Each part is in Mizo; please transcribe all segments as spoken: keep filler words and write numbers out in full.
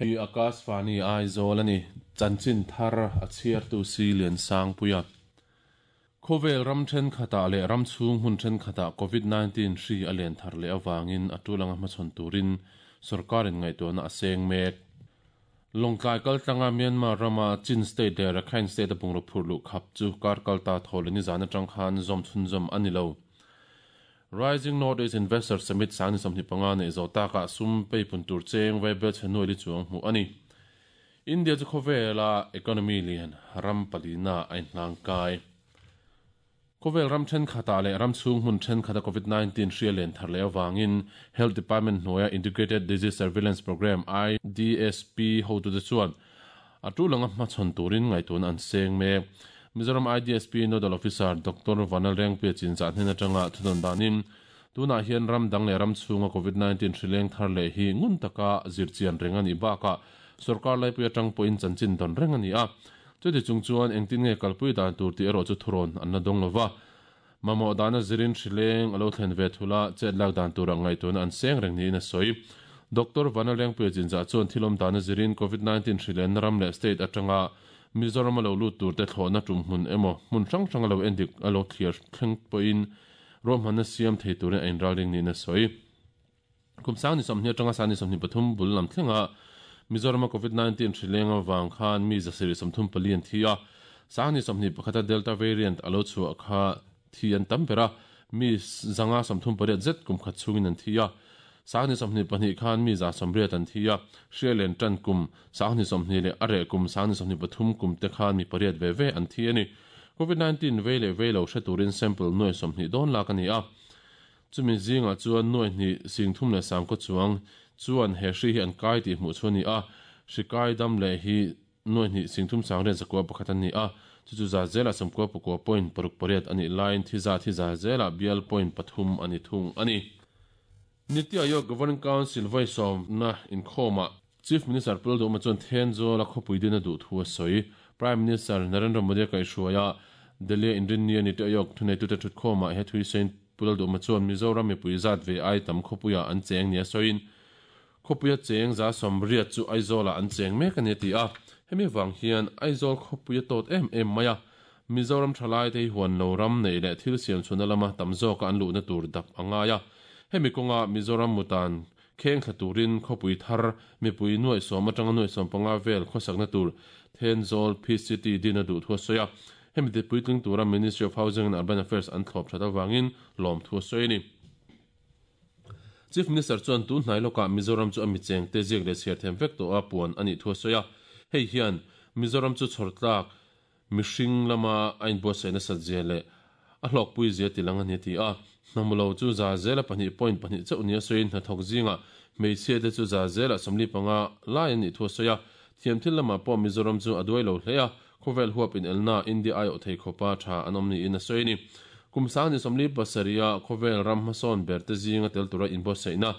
Hei Akashvani Aizawl a ni. Chanchin thar a chhiartu si Liansangpuia. Khawvel ram thenkhatah leh ram chhung hmun thenkhatah Covid nineteen hri a len thar leh avangin a tul anga hmachhawn turin sorkarin ngaihtuahna a seng mek. Lawngtlai kaltlanga Myanmar rama Chin State leh Rakhine State a bungraw phurh luh khap chu kar kalta thawl ni zan atang khan zawm chhunzawm a ni lo. Rising Northeast Investor Summit sangni sawmhnih panga nei zo taka sum peipun tur cheng vaibel chhenuai li chuang hmuh a ni. India chu khawvela economy lian ram palina a inhlang kai. Khawvel ram thenkhatah leh ram chhung hmun thenkhata Covid nineteen hri a len thar leh avangin Health Department hnuaia Integrated Disease Surveillance Programme I D S P hotute chuan a tulanga hmachhawn turin ngaihtuahna an seng mek. Mizoram I D S P Nodal Officer Doctor Vanal Rengpia chinzah hnen atanga thudawn danin tunah hian ram dang leh ram chhunga Covid nineteen hri leng thar leh hi ngun taka zirchian reng a nih bakah sarkar laipui atang pawhin chanchin dawn reng a ni a. Chuti chung chuan engtin nge kalpui dan tur tih erawh chu thuron an la dawng lova. Mamawh dana zirin hri leng a lo thlen ve thula chet lak dan turah ngaihtuahna an seng reng niin a sawi. Doctor Vanal Rengpia chinzah chuan thilawm dana zirin Covid nineteen hri len ram leh state atanga Mizoram a lo lut tur te thlawhna tum hmun emaw hmun hrang hrang a lo endik a lo thliar thleng pawhin ruahmanna siam thei turin a inralring niin a sawi. Kum sangni sawmhnih atanga sangni sawmhnih pathum bul lam thlenga Mizoram a Covid nineteen hri leng awang khan mi zasiri sawmthum pali an thi a. Sangni sawmhnih pakhata Delta variant a lo chhuah kha thi an tam ber a, mi zanga sawmthum pariat zet kum khat chungin an thi a. Sangni sawmhnih pahnih khan mi za sawmriat an thi a, hria len tan kum sangni sawmhnih leh a reh kum sangni sawmhnih pathum kum te khan mi pariat ve ve an thi a ni. Covid nineteen vei leh vei lo hre turin sample nuai sawmhnih dawn lak a ni a. Chumi zingah chuan nuai hnih singthum leh sangkaw chuang chuan he hri hi an kai tih hmuh chu a ni a. Hri kai dam leh hi nuai hnih singthum sangriat zakua pakhat an ni a. Chu chu za zela sawmkua pakua point paruk pariat a nih laiin thi za thi za zela bial point pathum a ni thung a ni. Niti Aayog Governing Council vai sawmna inkhawmah Chief Minister Pul Duma chuan Thenzawl a khawpui din a duh thu a sawi. Prime Minister Narendra Modi a kaihhruaia Delhi Inrinnia Niti Aayog thuneitute thutkhawmah he thui sawiin Pul Duma chuan Mizoram mipui zat ve ai tam khawpuia an cheng ni a sawiin khawpuia cheng za sawmriat chu Aizawlah an cheng mek a ni a ti a. Hemi wang hian Aizawl khawpuia tawt em em mai a. Mizoram thalai te hi huan lo ram nei leh thil siam chhuna lama tam zawka an luhna tur dap a ngai a. Hemi kawnga Mizoram mutan kheng thla turin khawpui thar mipui nuai sawm atanga nuai sawm panga vel khawsakna tur Thenzawl P C T din a duh thu a sawi a. Hemi te puitling tura Ministry of Housing and Urban Affairs an thlawp that awangin lawm thu a sawi a ni. Chief Minister chuan tun hnai lawkah Mizoram chu a mi cheng te ziak leh chhiar them vek tawh a puan a nih thu a sawi a. Hei hian Mizoram chu chhawrtlak mihring lama a inbuatsaihna sat zia leh a hlawkpui zia tilang a ni ti a. Hnamulo chu za zela pahnih point pahnih chauh ni a sawiin hnathawk zingah hmeichhia te chu za zela sawmli panga lai an nih thu a sawi a. Thiam thil lamah pawh Mizoram chu a duai lo hle a. Khawvel huap in elna India ai awh thei khawpa tha an awm niin a sawi ni. Kum sangni sawmli pasarih khawvel ram hmasawn ber te zinga tel tura inbuatsaihna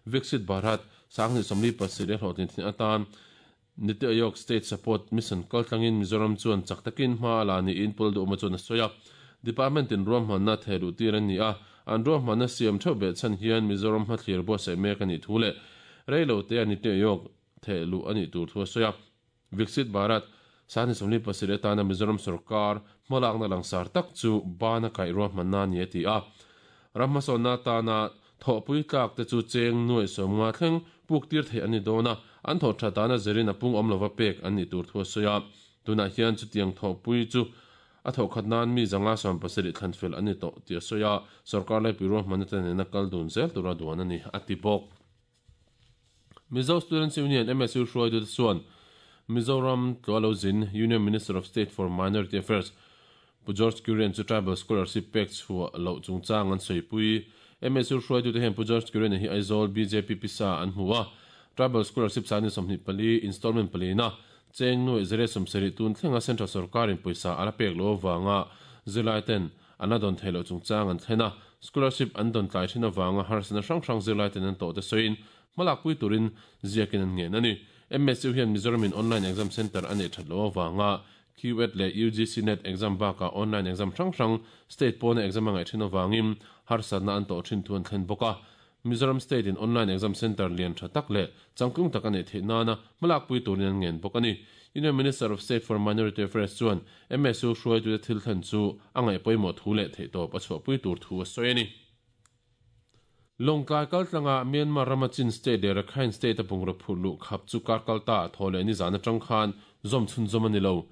Viksit Bharat sangni sawmli pasarih a hlawhtlin thin atan Niti Aayog State Support Mission kaltlangin Mizoram chuan chak takin hma a la niin Pul Duhma chuan a sawi a. Department in ruahmanna thehluh tir an ni a. An ruahmanna siam theuh beh chhan hian Mizoram hmathlir buatsaih mek a nih thu leh reilo te a Niti Aayog thehluh a nih tur thu a sawi a. Viksit Bharat sangni sawmli pasarih atana Mizoram sarkar hmalakna langsar tak chu bana kaih ruahmanna ni a ti a. Ram hmasawnna atana thawhpui tlak te chu cheng nuai sawmnga thleng puk tir thei an ni dawn a. An thawh tha dana zirin a pung awm lova pek an nih tur thu a sawi a. Tunah hian chutiang thawhpui chu a thawh khat nan mi zanga sawm pasarih thlan fel an ni tawh tih a sawi a. Sarkar laipui ruahmanna te nena kal dun zel tura duan a ni a ti bawk. Mizo Students Union M S U hruaitu te chuan Mizoram Tlualo Zin Union Minister of State for Minority Affairs Pu George Kurian chu Tribal Scholarship pek chhuah loh chungchang an sawi. M S U hruaitu te hian Pu George Kurian hi Aizawl B J P pisa an hmu a. Tribal Scholarship sangni sawmhnih pali installment palina cheng nuai zere sawmsarih tun thlenga Central sarkarin pawisa a la pek lo awanga zirlai ten an la dawn thei loh chungchang an thlen a. Scholarship an dawn tlai thin awanga harsatna hrang hrang zirlai ten an tawh te sawiin hmalakpui turin ziakin an ngen a ni. M S U hian Mizoramin online exam center a nei that lo awanga Q E T leh U G C NET exam bakah online exam hrang hrang state pawna exam a ngaih thin awangin harsatna an tawh thin thu an thlen bawk a. Mizoram State in online exam center lian tha tak leh changtlung tak a neih theih nana hmalakpui turin an ngen bawk a ni. Union Minister of State for Minority Affairs chuan M S U hruaitute thil thlen chu a ngaih pawimawh thu leh theihtawp a chhuahpui tur thu a sawi a ni. Lawngtlai kaltlanga Myanmar rama Chin State leh Rakhine State a bungraw phurh luh khap chu kar kalta Thawhlehni zan atang khan zawm chhunzawm a ni lo.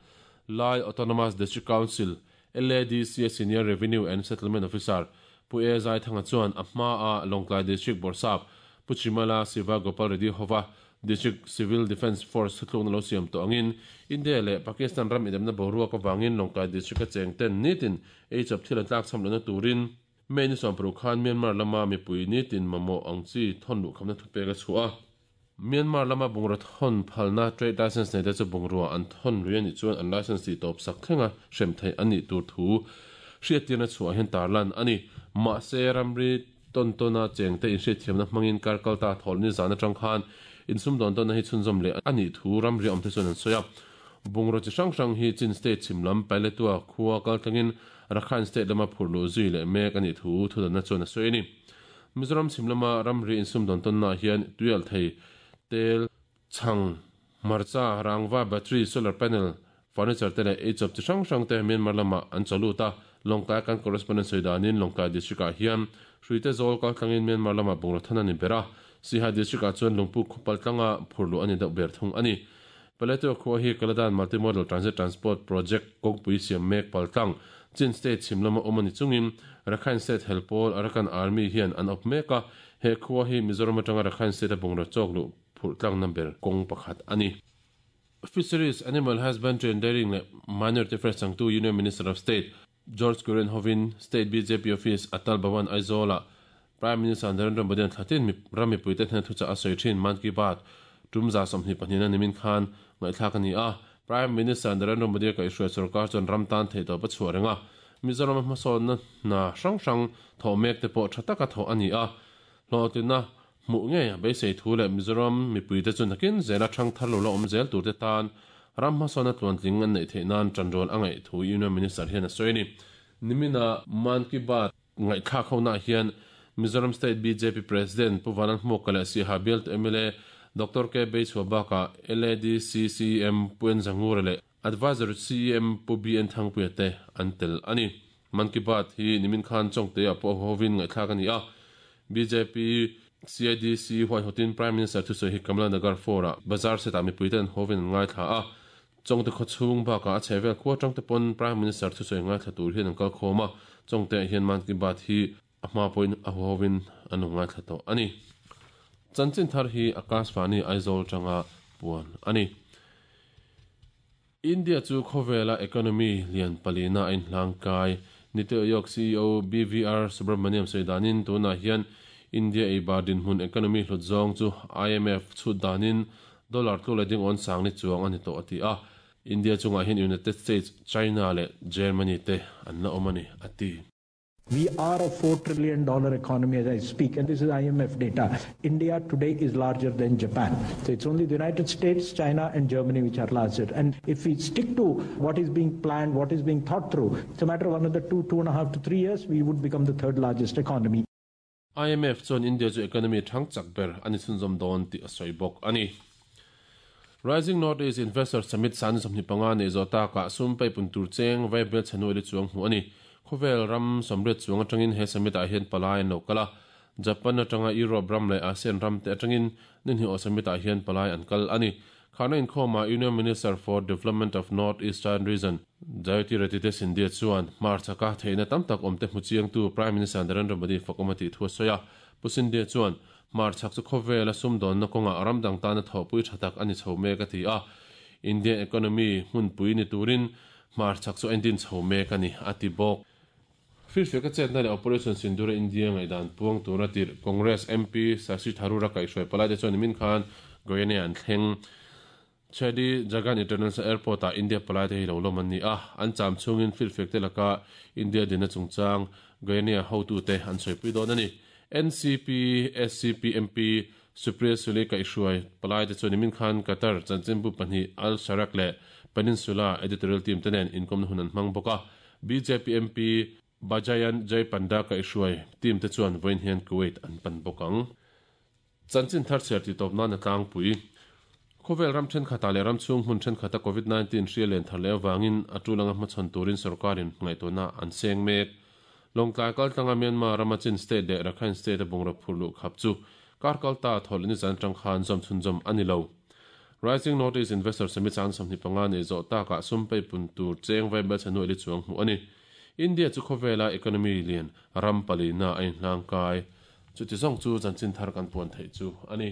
Lai Autonomous District Council, L A D C Senior Revenue and Settlement Officer Pu E Zaithanga chuan a hma a Lawngtlai District Bawrhsap Pu Chimala Siva Gopal Reddy hova District Civil Defence Force thutlukna lo siam tawh angin India leh Pakistan ram inremna boruak avangin Lawngtlai District a cheng ten nitin eichawp thil an tlak cham lohna turin May ni sawmparuk khan Myanmar lama mipui nitin mamawh ang chi thawn luh khamna thupek a chhuah a. Myanmar lama bungraw thawn phalna trade license nei te chu bungrua an thawn lui a nih chuan an license tih tawp sak thlenga hrem theih a nih tur thu hriattirna chhuah hian tarlan a ni. Mahse ramri tawn tawna chengte inhriatthiamna hmangin kar kalta Thawhlehni zan atang khan insumdawn tawnna hi chhunzawm leh a nih thu ramri awm te chuan an sawi a. Bungraw chi hrang hrang hi Chin State chhim lam Paletwa khua kaltlangin Rakhine State lama phurh luh zui leh mek a nih thu thudanna chuan a sawi a ni. Mizoram chhim lama ramri insumdawn tawnnaah hian tuial thei, tel, chhang, hmarcha, rangva, battery, solar panel, furniture te leh eichawp chi hrang hrang te Myanmar lamah an chaw lut a. Lawngtlai kan correspondent sawi danin Lawngtlai District ah hian Hruite zawl kaltlangin Myanmar lamah bungraw than a ni ber a. Siaha District ah chuan Lungpuk khawpal tlanga phurh luh a ni deuh ber thung a ni. Paletwa khua hi Kaladan Multimodal Transit Transport Project kawngpui siam mek paltlang Chin State chhim lama awm a ni chungin Rakhine State helpawl Arakan Army hian an awp mek a. He khua hi Mizoram atanga Rakhine State a bungraw chawk luh phurh tlangna ber kawng pakhat a ni. Fisheries, Animal Husbandry and Dairying leh Minority Affairs changtu Union Minister of State George Kurian hovin State B J P Office Atal Bhavan Aizawlah Prime Minister Narendra Modi an thlatin ram mipuite hnena thuchah a sawi thin Mann Ki Baat tum za sawmhnih pahnihna nimin khan ngaihthlak a ni a. Prime Minister Narendra Modi a kaihhruai sorkar chuan ram tan theihtawp a chhuah reng a. Mizoram hmasawnna hna hrang hrang thawh mek te pawh tha taka thawh a ni a. Hlawhtlinna hmuh ngei a beisei thu leh Mizoram mipuite chu nakin zela thang thar lo la awm zel tur te tan ram hmasawnna tluantling an neih theih nan tanrual a ngaih thu Union Minister hian a sawi a ni. Nimina Mann Ki Baat ngaihthlak honaah hian Mizoram State B J P President Pu Vanlalhmuaka leh Siaha bialtu M L A Doctor K Beichhua bakah L A D C C E M Pu N Zangura leh Advisor C E M Pu B N Thangpuia te an tel a ni. Mann Ki Baat hi nimin khan Chawngte ah pawh hovin ngaihthlak a ni a. B J P C I D C huaihawtin Prime Minister thusawi hi Kamla Nagar four ah bazar setah mipuite an hovin an ngaithla a. Chawngte khawchhung bakah a chhehvel khua tangte pawn Prime Minister thusawi ngaithla tur hian an kal khawm a. Chawngte ah hian Mann Ki Baat hi a hma pawhin a hovin an lo ngaithla tawh a ni. Chanchin thar hi Akashvani Aizawl tanga puan a ni. India chu khawvela economy lian palina a inhlangkai. Niti Aayog C E O B V R Subramaniam sawi danin tunah hian India eibar dinhmun economy hlut zawng chu I M F chhut danin dollar tlu leh ding awn sang ni chuang a ni tawh a ti a. India chungah hian United States, China leh Germany te an la awm a ni a ti. We are a four trillion dollar economy as I speak, and this is I M F data. India today is larger than Japan. So it's only the United States, China, and Germany which are larger. And if we stick to what is being planned, what is being thought through, it's a matter of another two, two and a half to three years, we would become the third largest economy. I M F chuan India chu economy thang chak ber ani chhunzawm dawn tih a sawi bawk a ni. Rising North East Investor Summit san sawmhnih panga nei zawh takah sum peipun tur cheng vaibel chhanu li chuang hmuh a ni. Khawvel ram sawmriat chuang atangin he summit ah hian palai an lo kal a. Japan atanga Europe ram leh ASEAN ram te atangin ninhi aw summit ah hian palai an kal a ni. Khana inkhawma Union Minister for Development of North Eastern Region Jyotiraditya Scindia chuan hmar chaka theihna tam tak awm te hmu chiangtu Prime Minister Narendra Modi fakawm a tih thu a sawi a. Pu Scindia chuan hmar chak chu khawvela sumdawnna kawnga ram dang tana thawhpui tha tak ani chho mek a ti a. Indian economy hmunpui ni turin hmar chak chu endin chho mek a ni a ti bawk. Firfiak a chetna leh Operation Sindoor India ngaihdan puang tura tir Congress M P Shashi Tharoor a kaihhruai palai te chuan nimin khan Guyana an thleng. Chedi Jagan International Airport ah India palai te hi lo lawm an ni a. An cham chungin firfiak te laka India dina chungchang Guyana hotu te an sawipui dawn a ni. N C P S C P M P Supriya Sule kaihhruai palai te chuan nimin khan Qatar chanchinbu pahnih Al Sharaq leh Peninsula editorial team te nen inkawmna hun an hmang bawk a. B J P M P Bajayan Jay Panda ka ihruai team te chuan vawiin hian Kuwait an pan bawk ang. Chanchin thar chhiar tih tawp nan a tlangpui. Khawvel ram thenkhatah leh ram chhung hmun thenkhata Covid nineteen hria len thar leh avangin a tul anga hmachhawn turin sorkarin ngaihtuahna an seng mek. Lawngtlai kaltlanga Myanmar rama Chin State leh Rakhine State a bungraw phurh luh khap chu kar kalta thawhleh ni zan atang khan zawm chhunzawm a ni lo. Rising North East Investor Summit chang sawmhnih panga nei zawh takah sum peipun tur cheng vai bel chhanu eli chuang hmuh a ni. India chu khawvela economy lian ram palina a inhlangkai. Chuti zawng chu chanchin thar kan puan theih chu a ni.